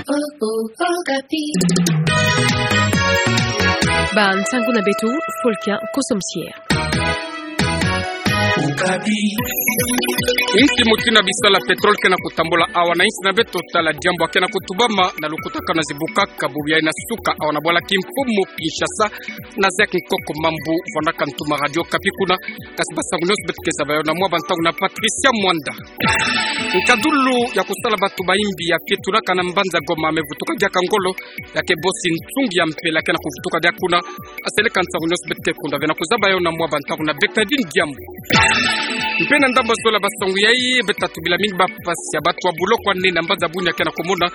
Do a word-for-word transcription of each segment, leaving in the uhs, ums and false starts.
Ba ntangu na beto, Folkia Kosomsier. Insi mutindu ya bisala pétrole ke na kutambula awa na insi na beto, tala diambu ke na kutubama na lukutakanu ya zibukaka bubu yayi na suka awa na bwala kimfumu Kinshasa, na Zek Nkoko Mambu, vwandaka ntu ma Radio Okapi kuna. Kasi basangu nyonso beto ke zaba yawu na mwa bantangu na Patricia Mwanda. Nkadulu ya kusala bantu bayimbi ya fetulaka na mbanza Goma mevutuka diaka ngolo, ya ke bosi nsungi ya mpela ke na kuvutuka diaka kuna. Aseleka nsangu nyonso beto ke kunda ve na kuzaba yawu na mwa bantangu na Bernardine Diambu. Mpe na ndambu ya zola basangu yayi, beto ta tubila mingi bampasi ya bantu ya buloko ya nene na mbanza Bunia ke na kumona.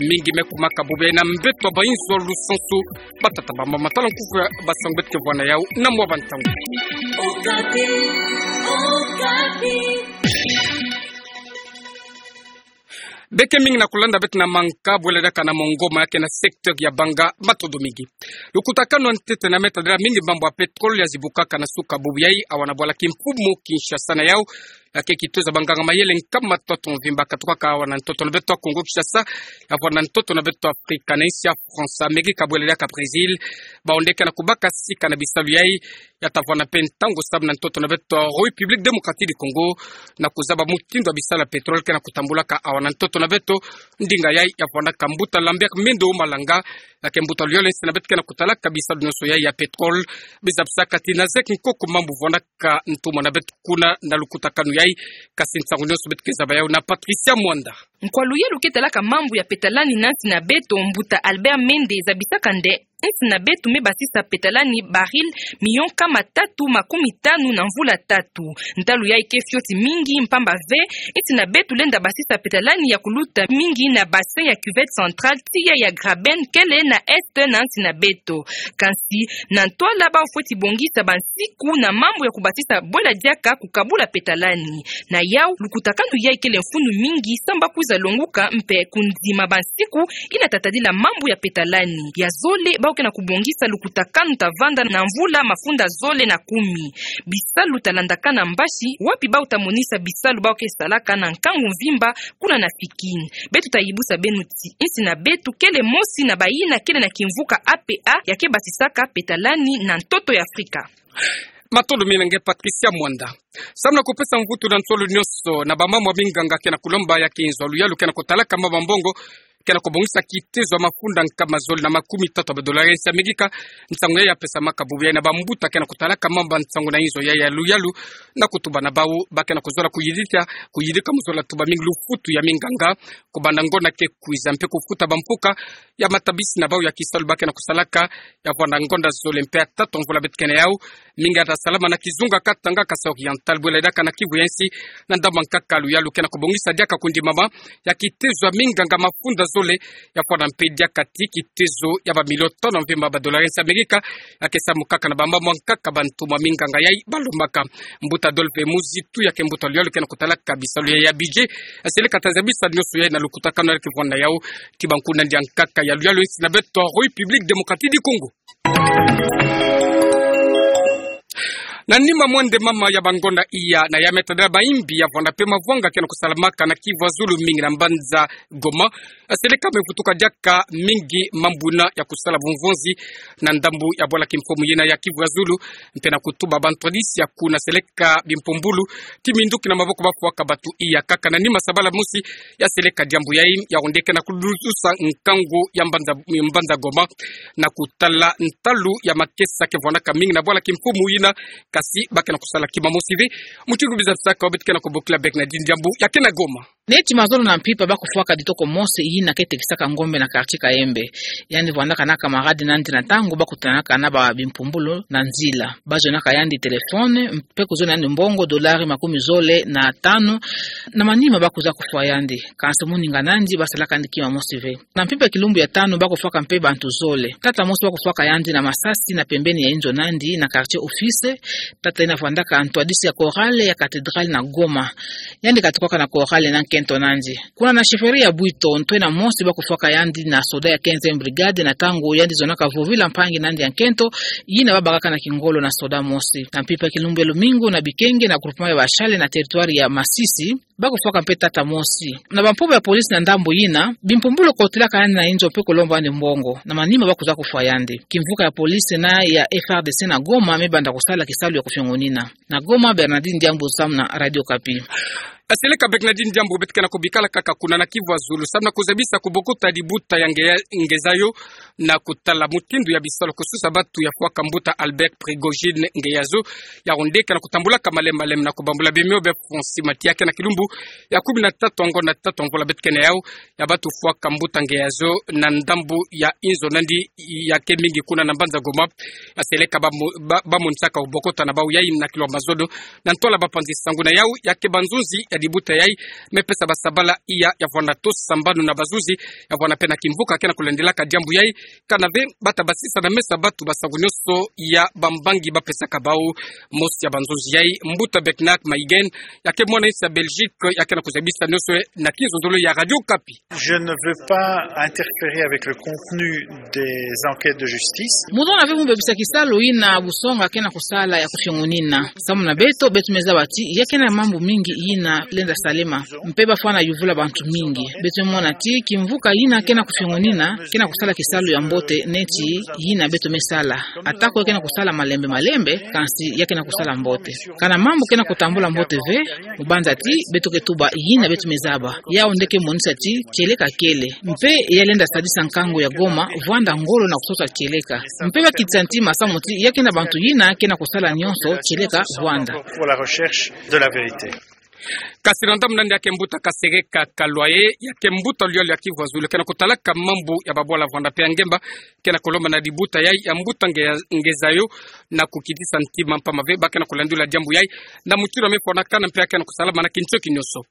Mingi me kumaka bubu yayi na mbeto ya bayinzo lusansu. Batata, bamama, tala nkufi ya basangu beto ke vwanda yawu na mwa bantangu. Beke mingi na kulanda beto na manka, bwela diaka na Mongoma ya ke na secteur ya Banga, matondo mingi. Lukutakanu ya ntete na meta dela mingi mambu ya pétrole ya zibukaka na suka bubu yayi awa na bwala kimfumu Kinshasa na yawu, ya ke kitoza banganga mayele nkama tatu mvimba katukaka awa na ntoto na beto ya Kongo Kinshasa, ya vwanda na ntoto na beto ya Afrika, na insi ya France, Amerika, bwela diaka Brésil, bawu nde ke na kubaka sika na bisalu yayi. Ya ta vwanda mpe ntangu samu na ntoto na beto ya République Démocratique du Congo, na kuzaba mutindu ya bisala pétrole ke na kutambulaka awa na ntoto na beto. Ndinga yayi ya vwandaka mbuta Lambert Mende Malanga, ya ke mbuta luyolo ya insi na beto ke na kutalaka bisalu nyonso yayi ya pétrole. Bizabisaka ti na Zek Nkoko Mambu vwandaka ntumwa na beto kuna na lukutakanu yayi. Kasi nsangu nyonso beto ke zaba yawu na Patricia Mwanda. Nkwa luyelu ke talaka mambu ya petalani na insi na beto, mbuta Albert Mende, zabisaka nde insi na beto me basisa petalani baril milion nkama tatu makumi tanu na mvula tatu. Ntalu yayi ke fioti mingi, mpamba ve insi na beto lenda basisa petalani ya kuluta mingi na bassin ya Cuvette Centrale, tiya ya Graben, kele na est na insi na beto. Kansi na ntwala, bawu fweti bongisa bansiku na mambu ya kubasisa bwela diaka kukabula petalani. Na yawu, lukutakanu yayi kele mfunu mingi samu ba kwiza longuka mpe kundima bansiku yina ta tadila mambu ya petalani. Ya zole, bawu ke na kubongisa lukutakanu ta vanda na mvula mafunda zole na kumi. Bisalu ta landakana mbasi, wapi bawu ta monisa bisalu bawu ke salaka na nkangu mvimba kuna na Fikin. Beto ta yibusa beno ti insi na beto kele mosi na bayina kele na kimvuka A P A ya ke basisaka petalani na ntoto ya Afrika. Matondo mingi na nge Patricia Mwanda. Samu na kupesa mvutu na nsolo nyonso na bamama minganga ke na kulomba ya ke nzo ya luyalu ke na kutalaka mama mbongo, ke na kubongisa kitezo ya mafunda nkama zole na makumi tatu ya badolari ya insi ya Amerika. Nsangu yayi ya pesamaka bubu yayi na bambuta ke na kutalaka mamba nsangu na inzo yayi ya luyalu, na kutuba na bawu ba ke na kuzola kuyidika, kuyidika mu zola tuba mingi lufutu ya minganga, kubanda ngonda ke kwiza mpe kufuta bampuka ya matabisi na bawu ya kisalu ba ke na kusalaka, ya vwanda ngonda zole mpe ya tatu mvula beto ke na yawu. Mingi ya ta salama na kizunga Katanga, Kasaï Oriental, bwela diaka na Kivu ya nsi, na ndambu ya nkaka luyalu ke na kubongisa diaka kundimama ya kitezo ya minganga mafunda zole, ya vwanda mpe diaka ti kitezo ya bamilio tanu mvimba badolari ya insi ya Amerika, ya ke samu kaka na bamama nkaka bantu mwa minganga yayi balombaka. Mbuta Adolphe Muzitu, ya ke mbuta luyalu ke na kutalaka bisalu yayi ya budget, aseleka ta zabisa nyonso yayi na lukutakanu ya ke vwanda yawu ti bankunandi ya nkaka ya luyalu ya insi na beto République Démocratique du Congo. Na nima mwende mama ya bangonda iya na ya meta dela bayimbi ya vwanda mpe mavwanga ke na kusalamaka na Kivu ya zulu, mingi na mbanza Goma, aseleka mevutuka diaka mingi mambu yina ya kusala bumvonzi na ndambu ya bwala kimfumu yina ya Kivu ya zulu, mpe na kutuba bantwadisi ya kuna seleka bimpumbulu ti minduki na maboko bafwaka batu iya kaka na nima sabala mosi ya seleka diambu yayi, yawu nde ke na kulutusa nkangu ya mbanza, mbanza Goma, na kutala ntalu ya makesa ke vwandaka mingi na bwala kimfumu yina, kasi ba ke na kusala kima mosi ve. Mutindu bizabisaka, beto ke na kubokila Bernardine Diambu ya ke na Goma. Neti Mazolo na Mpimpa ba kufwaka ditoko mosi yina ke tekisaka ngombe na quartier Kayembe. Yandi vwandaka na camarade nandi na ntangu ba kutanaka na ba bimpumbulu na nzila. Ba zonaka yandi téléphone, mpe kuzona yandi mbongo dolari makumi zole na tanu. Na manima ba kwiza kufwa yandi. Kansi moninga nandi ba salaka yandi kima mosi ve. Na mpimpa ya kilumbu ya tanu ba kufwaka mpe bantu zole. Tata mosi ba kufwaka yandi na masasi na pembeni ya inzo nandi na quartier Office. Tata yina vwandaka ntwadisi ya chorale ya cathédrale na Goma. Yandi katukaka na chorale na nkento nandi. Kuna na chefferie ya Bwito, ntwenya mosi ba kufwaka yandi na soda ya quinzième brigade na ntangu yandi zonaka vovila mpangi nandi ya nkento, yina ba bakaka na kingolo na soda mosi. Na mpimpa ya kilumbu ya lumingu na Bikenge na groupement ya Bashale na territoire ya Masisi, Ba kufwaka mpe tata mosi. Na bampuba ya police na ndambu yina, bimpumbulu kotilaka yandi na inzo mpe kulomba yandi mbongo. Na manima ba kwiza kufwa yandi. Kimvuka ya police na ya F R D C na Goma me banda kusala kisalu ya kufiongonina. Na Goma, Bernardine Diambu samu na Radio Okapi. Aseleka Bernardine Diambu, beto ke na kubikala kaka kuna na Kivu ya Zulu samu na kuzabisa kubokota dibuta ya nge ya, nge zayo na kutala mutindu ya bisalu kususa batu ya fwaka mbuta Albert Prigogine nge yazo, yawu nde ke na kutambulaka malembe malembe na kubambula bimio bia fonsi mati ya ke na kilumbu ya kumi na tatu ya ngonda tatu ya mvula beto ke na yawu, ya batu fwaka mbuta nge yazo na ndambu ya inzo nandi ya ke mingi kuna na mbanza Goma. Aseleka ba mo-, ba, ba monisaka bubokota na bawu yayi na kilwa mazono, na ntwala bapanzi sangu na yawu ya ke banzunzi ya dibuta yayi, me pesa basabala iya ya vwanda tosa sambanu na banzunzi, ya vwanda mpe na kimvuka ke na kulandilaka diambu yayi, kana ve bata basisa na mesa batu basangu nionso ya bambangi ba pesaka bawu. Mosi ya banzunzi yayi, mbuta Beknak Maïgen, ya ke mwana insi ya Belgique, ya ke na kuzabisa nionso na kinzonzolo ya Radio Okapi. Je ne veux pas interférer avec le contenu des enquêtes de justice. Mu zola ve mu bebisa kisalu yina busonga ke na kusala ya kufiongonina. Samu na beto, beto me zaba ti ya ke na mambu mingi yina lenda salama. Mpe ba fwana yuvula bantu mingi. Beto me mona ti kimvuka yina ke na kufiongonina ke na kusala kisalu ya mbote neti yina beto me sala. Atako ya ke na kusala malembe malembe, kansi ya ke na kusala mbote. Kana mambu ke na kutambula mbote ve, mu banza ti beto ke tuba yina beto me zaba. Yawu nde ke monisa ti kieleka kele. Mpe ya lenda sadisa nkangu ya Goma vwanda ngolo na kusota kieleka. Mpe ba kitisa ntima samu ti ya ke na bantu yina ke na kusala nionso kieleka vwanda. Pour la recherche de la vérité. Kasi na ndambu nandi ya ke mbuta Kasereka Kalwaye, ya ke mbuta luyalu ya Kivu ya Zulu, ke na kutalaka mambu ya babwala vwanda mpe ya ngemba, ke na kulomba na dibuta yayi ya mbuta nge, nge zayo na kukitisa ntima mpamba ve ba ke na kulandula diambu yayi na mutindu ya me fwanakana mpe ya ke na kusalama na kintioki nionso.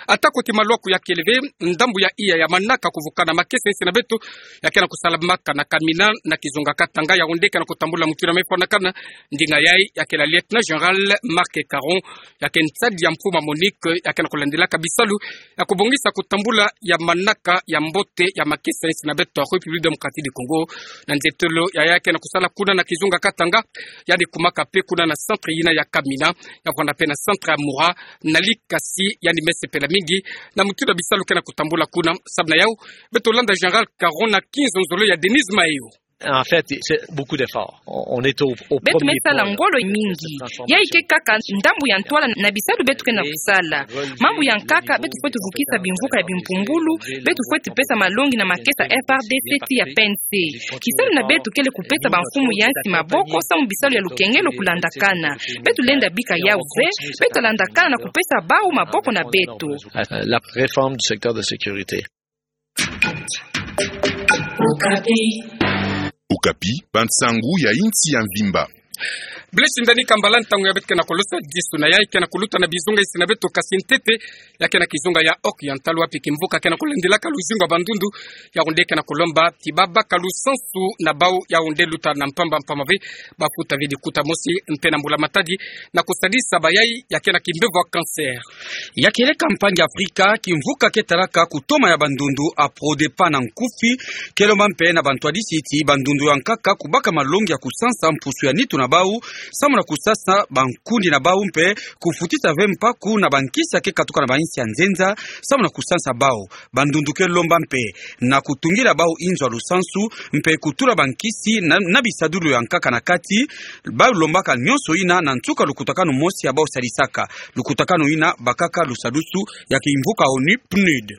Atako ti malwaku ya kele ve, ndambu ya iya ya manaka kuvukana makesa insi na beto ya ke na kusalamaka na Kamina na kizunga Katanga, yawu nde ke na kutambula mutindu ya me fwanakana. Ndinga yayi ya ke la lieutenant général Marc Caron, ya ke nsadi ya mfumu Monique, ya ke na kulandilaka bisalu ya kubongisa kutambula ya manaka ya mbote ya makesa insi na beto ya République Démocratique du Congo. Na nzietolo ya ya ke na kusala kuna na kizunga Katanga, yandi kumaka mpe kuna na centre yina ya Kamina, ya vwanda mpe na centre ya Mura, na Likasi, yandi me sepela mingi na mutindu ya bisalu ke na kutambula kuna. Samu na yawu, beto landa général Caron na kinzonzolo ya Denise Mayo. En fait, c'est beaucoup d'efforts. On, on est au, au premier plan, là. Beto me sala ngolo mingi. Yayi ke kaka ndambu ya ntwala na bisalu beto ke na kusala. Mambu ya nkaka, beto fweti vukisa bimvuka ya bimpumbulu, beto fweti pesa malongi na makesa F R D C ti ya P N C. Kisalu na beto kele kupesa bamfumu ya nsi maboko samu bisalu ya lukengelo kulandakana. Beto lenda bika yawu ve, beto landakana na kupesa bawu maboko na beto. Euh, la réforme du secteur de sécurité. Okapi, bansangu ya insi ya mvimba. Blaise Ndani Kambala, ntangu ya beto ke na kulosa disu na yayi ke na kuluta na bizunga insi na beto, kasi ntete ya ke na kizunga ya Oriental, wapi kimvuka ke na kulandilaka luzingu ya bandundu, yawu nde ke na kulomba ti ba baka lusansu na bawu, yawu nde luta na mpamba mpamba ve ba futa ve dikuta mosi mpe na mbula matadi, na kusadisa bayayi ya ke na kimbevo ya cancer. Ya kieleka mpangi Afrika, kimvuka ke talaka kutoma ya bandundu, APRODEPA na nkufi, ke lomba mpe na bantwadisi ti bandundu ya nkaka kubaka malongi ya kusansa mpusu ya nitu na bawu, samu na kusansa bankundi na bawu mpe kufutisa ve mpaku na bankisi ya ke katuka na bainsi ya nzenza, samu na kusansa bawu. Bandundu ke lomba mpe na kutungila bawu inzo ya lusansu, mpe kutula bankisi na, na bisadulu ya nkaka na kati. Bawu lombaka nionso yina na nsuka lukutakanu mosi ya bawu sadisaka. Lukutakanu yina bakaka lusadusu ya kimvuka ONU, PNUD.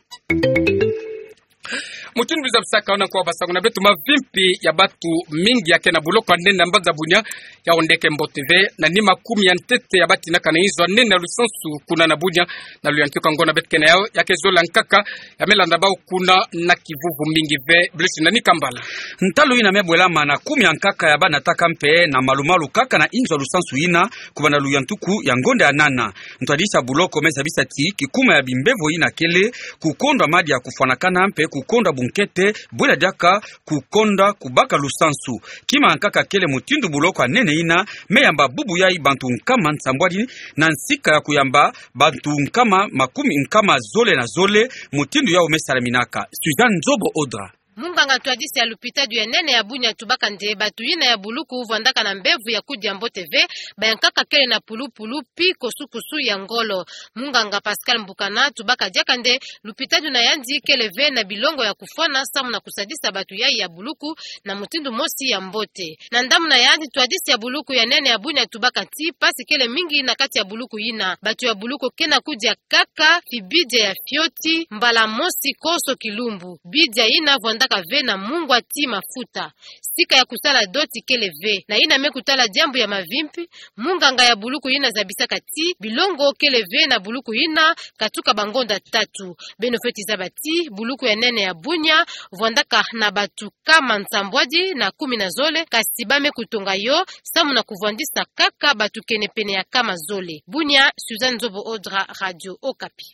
Mutindu luzabisaka, ona kwa basangu na beto, mavimpi ya batu mingi ya ke na buloko ya nene na mbanza Bunia, yawu nde ke mbote ve, na nima kumi ya ntete ya batinaka na inzo ya nene ya lusansu kuna na Bunia, na luyantiku ya ngonda beto ke na yawu, ya ke zola nkaka, ya me landa bawu kuna na kivuvu mingi ve. Blaise Ndani Kambala. Ntalu yina me bwelama na kumi ya nkaka ya ba nataka mpe na malumalu kaka na inzo ya lusansu yina, kubanda luyantiku ya ngonda ya nana. Ntwadisi ya buloko me zabisa ti kikuma ya bimbevo yina kele kukondwa madia kufwanakana mpe kukondwa bunkete, bwela diaka kukondwa kubaka lusansu. Kima nkaka kele mutindu buloko ya nene yina me yamba bubu yayi bantu nkama nsambwadi, na nsika ya kuyamba bantu nkama makumi, nkama zole na zole, mutindu yawu me salaminaka. Suzanne Nzobo Odra. Munganga ntwadisi ya lupitadi ya nene ya Bunia atubaka nde batu yina ya buluku vwandaka na mbevo ya kudia mbote ve, bayankaka kele na pulupulu pi kosukosu ya ngolo. Munganga Pascal Mbukana atubaka diaka nde lupitadi na yandi kele ve na bilongo ya kufwana samu na kusadisa batu yayi ya buluku na mutindu mosi ya mbote. Na ndambu na yandi, ntwadisi ya buluku ya nene ya Bunia atubaka ti mpasi kele mingi na kati ya buluku yina. Batu ya buluku ke na kudia kaka fi bidia ya fioti mbala mosi konso kilumbu. Bidia yina vwandaka ve na mungwa ti mafuta. Sika ya kusala doti kele ve. Na yina me kutala diambu ya mavimpi, munganga ya buluku yina azabisaka ti bilongo kele ve na buluku yina katuka bangonda tatu. Beno fweti zaba ti buluku ya nene ya Bunia vwandaka na batu kama nsambwadi na kumi na zole, kasi ba me kutonga yo samu na kuvwandisa kaka batu kene pene ya kama zole. Bunia, Suzanne Nzobo Odra, Radio Okapi.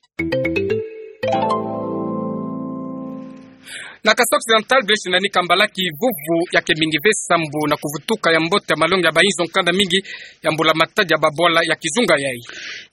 Na Kasai Occidental, Blaise Nani Kambala, kivuvu ya kemingi ve sambu na kuvutuka ya mbote ya malongi ya bainzo nkanda mingi ya mbula matadi ya babwala ya kizunga yayi.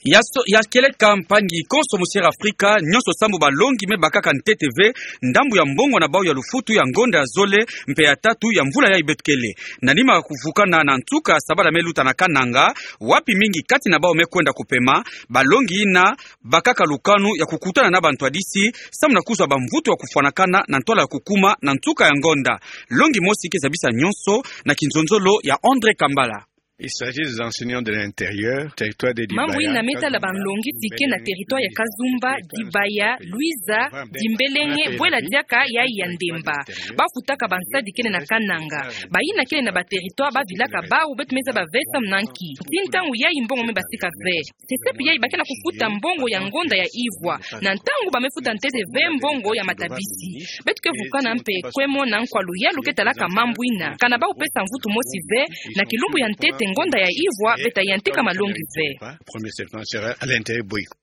Ya so-, ya kieleka mpangi konso mu Sierra Afrika, nyonso sambu balongi me bakaka ntete ve ndambu ya mbongo na bau ya lufutu ya ngonda ya zole mpe ya tatu ya mvula yayi beto kele. Na nima kuvukana na nsuka sabala me luta na Kananga, wapi mingi kati na bau me kwenda kupema, balongi yina bakaka lukanu ya kukutana na bantwadisi, samu na kuzwa bamvutu ya kufwanakana na ntwala ya kukuma na nsuka ya ngonda. Longi mosi ke zabisa nyonso na kinzonzolo ya André Kambala. Il s'agit des enseignants de l'intérieur, territoire de Mambu Dibaya, yina me tala banlongi ti ke na territoire ya Kazumba, Dibaya, Luiza, Dimbelenge, bwela diaka yayi ya Ndemba. Ba futaka bansadi kele na Kananga. Bayina kele na ba territoire ba vilaka bau beto me zaba ve samu na nki. Ti ntangu yayi mbongo me basika ve. Sesepi yayi ba ke na kufuta mbongo ya ngonda ya ivwa. Na ntangu ba me futa ntete ve mbongo ya matabisi. Beto ke vukana mpe kwe mona nkwa luyalu ke talaka mambu yina. Kana ba kupesa mvutu mosi ve, na kilumbu ya ntete ngonda ya ivwa, beta yantika malongi ve. Premier septembre sera à l'intérieur Boyko.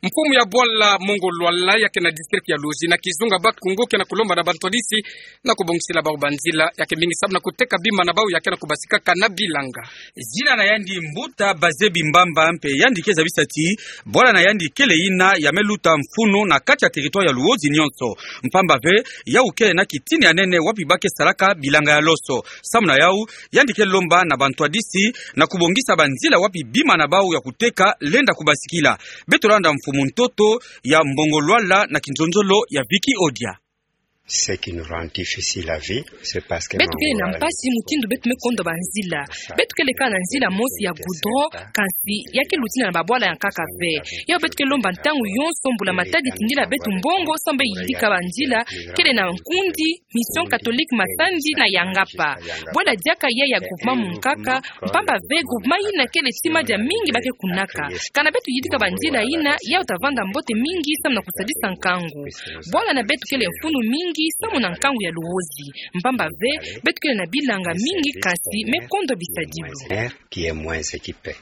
Mfumu ya bwala Mongo Lwala ya ke na district ya Luozi na kizunga Bas-Congo ke na kulomba na bantwadisi na kubongisila bau banzila ya kemingi samu na kuteka bima na bau ya ke na kubasikaka na bilanga. Zina na yandi Mbuta Bazebi Mbamba mpe yandi ke zabisa ti bwala na yandi kele yina ya me luta mfunu na kati ya territoire ya Luozi nyonso. Mpamba ve, yau kele na kitini ya nene wapi ba ke salaka bilanga ya loso. Samu na yau, yandi ke lomba na bantwadisi na kubongisa banzila wapi bima na bau ya kuteka lenda kubasikila. Beto landa mfumu ntoto ya Mongo Lwala na kinzonzolo ya Vicky Odia. Ce qui nous rend difficile la vie, c'est parce que Beto kele na mpasi mutindu beto me kondwa banzila. Beto kele kaka na nzila mosi ya goudron, kansi ya ke lutina na babwala ya nkaka ve. Yau beto ke lomba ntangu yonso mbula matadi tindila beto mbongo samu bê yidika banzila, kele na nkundi, Mission Catholique Masandi na Yangapa. Bwela diaka yayi ya groupement Munkaka, mpamba ve groupement yina kele ti madia mingi ba ke kunaka. Kana beto yidika banzila yina, yau ta vanda mbote mingi samu na kusadisa nkangu. Bwala na beto kele mfunu mingi samu na nkangu ya Luozi. Mpamba ve, beto kele na bilanga mingi kansi me kondwa bisadilu. Qui est moins équipé.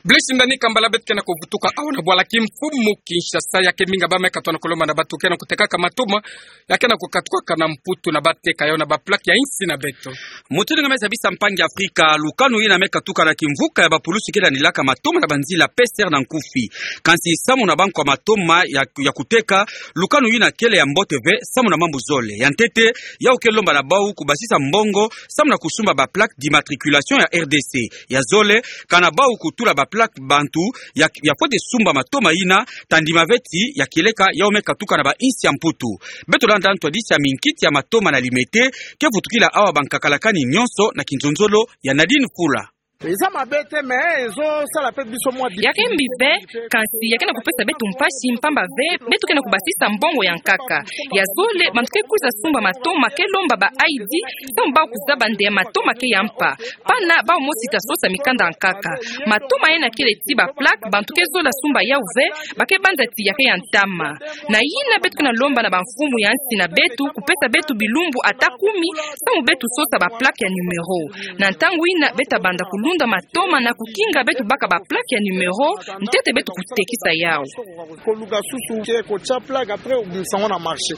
Blaise Nani Kambala, beto ke na kuvutuka awa na bwala kimfumu Kinshasa, ya kemingi ba me katuka na kulomba na batu ke na kutekaka matoma ya ke na kukatukaka na Mputu na bateka yau na ba plaque ya insi na beto. Mutindu nga me zabisa mpangi Afrika, lukanu yina me katuka na kimvuka ya bapulusi ke landilaka matoma na banzila P C R na nkufi. Kansi samu na bankwa matoma ya, ya kuteka, lukanu yina kele ya mbote ve, samu na mambu zole. Ya ntete, yau ke lomba na bau kubasisa mbongo samu na kusumba ba plaque d'immatriculation ya R D C. Ya zole, kana bau kutula ba plaque bantu ya, ya fwete sumba matoma yina, ta ndima ve ti ya kieleka yau me katuka na ba insi ya Mputu. Beto landa ntwadisi ya minkiti ya matoma na Limete, ke vutukila awa bankakalakani nyonso na kinzonzolo ya Nadine Fula. Eza mabe te, mais ezosala pe biso mwa difficulté. Ya ke mbi ve, kansi ya ke na kupesa beto mpasi mpamba ve, beto ke na kubasisa mbongo ya nkaka. Ya zole, bantu ke kwiza sumba matoma ke lomba ba I D, samu bau kuzaba nde matoma ke ya mpa. Pana bau mosi ta sosa mikanda ya nkaka. Matoma yina kele ti ba plaque, bantu ke zola sumba yau ve, ba ke banza ti ya ke ya ntama. Na yina beto ke na lomba na bamfumu ya nsi na beto, kupesa beto bilumbu ata kumi, samu beto sosa ba plaque ya numéro. Na ntangu yina beto ta banda kulunda matoma na kukinga beto baka ba plaque ya numéro, ntete beto kutekisa yau. Koluka susu ke kotia plaque, après obimisa yango na marché.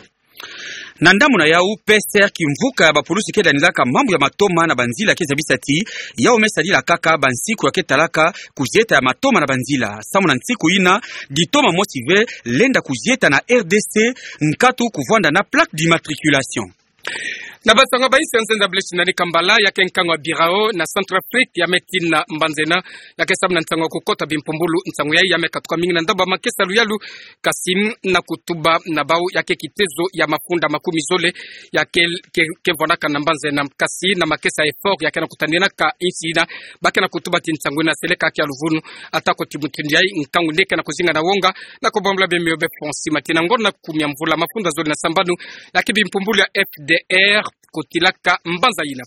Na ndambu na yau, P C R, kimvuka ya bapulusi ke landilaka mambu ya matoma na banzila, ke zabisa ti yau me sadila kaka bansiku ya ke talaka kuzieta ya matoma na banzila. Samu na nsiku yina, ditoma mosi ve lenda kuzieta na R D C, nkatu kuvwanda na plaque d'immatriculation. Na bansango ya bainsi ya nzenza Blaise Nani Kambala, ya ke nkango ya Birao na Centrafrique ya me tina mbanzena, ya ke samu na nsango ya kukota bimpumbulu. Nsango yayi ya me katuka mingi na ndambu ya makesa luyalu, kasi na kutuba na bau ya ke kitezo ya mafunda makumi zole ya ke, ke, ke vwanaka na mbanzena, kasi na makesa effort ya ke na kutaninaka insi ina, ba ke na kutuba ti nsango ina seleka ya luvunu, atako ti mutindu yayi nkangu ni ke na kuzinga na wonga, na kubambula bemio be fonsi matina ngona kumi ya mvula mafunda zole na sambanu, ya ke bimpumbulu ya F D R kotilaka mbanza ina.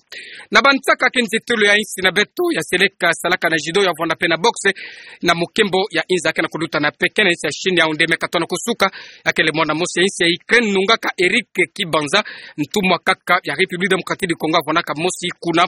Na bansaka ke nzetolo ya insi na beto ya seleka salaka na judo, ya vwanda pe na boxe, na mokembo ya inza ke na kuluta na Pékin na insi ya Chine, ya onde me katona kusuka, ya ke le mwana mosi ya insi ya Ukraine nungaka Eric Kibanza, ntumwa kaka ya République Démocratique du Congo, avwanaka mosi kuna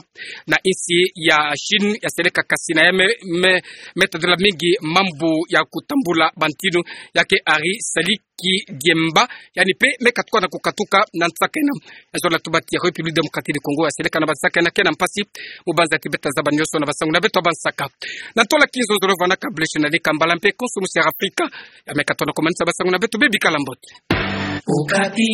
na insi ya Chine, ya seleka kasi na ya me, me, me tadula mingi mambu ya kutambula bantinu, ya ke Ari Sali Kidiemba, yandi pe me katuka na kukatuka na nsaka ina. Ya zola tuba ti République Démocratique du Congo ya seleka na bansaka ina ke na mpasi, mu banza ti beta zaba nioso na basango na beto ya bansaka. Na ntola kinzonzolo vwanaka Blaise Nani Kambala mpe konso mosi ya Afrika, ya me katona kumanisa basango na beto, bebikala mbote. Okapi.